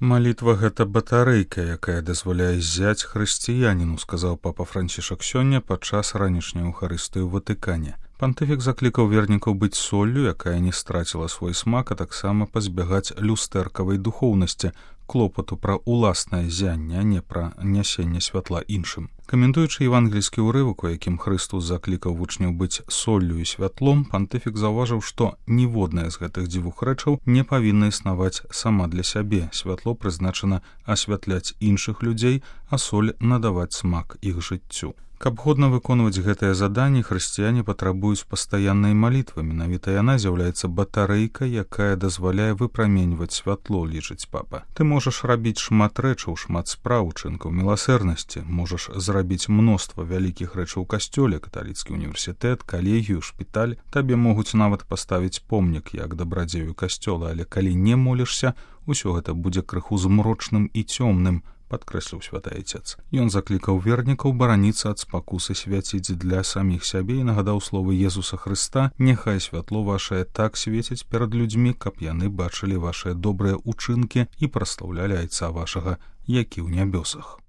Малітва гэта батарэйка, якая дазваляе ззяць хрысціяніну, сказаў папа Францішак сёння падчас ранішняй эўхарыстыі ў Ватыкане. Пантыфік заклікаў вернікаў быць соллю, якая не страціла свой смак, а таксама пазбягаць люстэркавай духоўнасці, клопату пра ўласнае зянне, а не пра нясенне святла іншым. Каментуючы евангельскі ўрывак, у якім Хрыстус заклікаў вучняў быць соллю і святлом, пантыфік заўважыў, што ніводная з гэтых дзвюх рэчаў не павінна існаваць сама для сябе. Святло прызначана асвятляць іншых людзей, а соль надаваць смак іх жыццю. Каб годна выконваць гэтае заданне, хрысціяне патрабуюць пастаяннай малітвы. Менавіта яна з'яўляецца батарэйкай, якая дазваляе выпраменьваць святло, лічыць папа. Ты можаш рабіць шмат рэчаў, шмат спраў, чынкаў міласэрнасці, можаш зрабіць мноства вялікіх рэчаў у касцёле, каталіцкі універсітэт, калегію, шпіталь. Табе могуць нават паставіць помнік як дабрадзею касцёла, але калі не молішся, усё гэта будзе крыху змрочным і цёмным, падкрэсліў святы айцец. Ён заклікаў вернікаў бараніцца ад спакусы свяціць для саміх сябе і нагадаў словы Езуса Хрыста: «Няхай святло вашае так свеціць перад людзьмі, каб яны бачылі вашыя добрыя ўчынкі і праслаўлялі айца вашага, які ў нябёсах».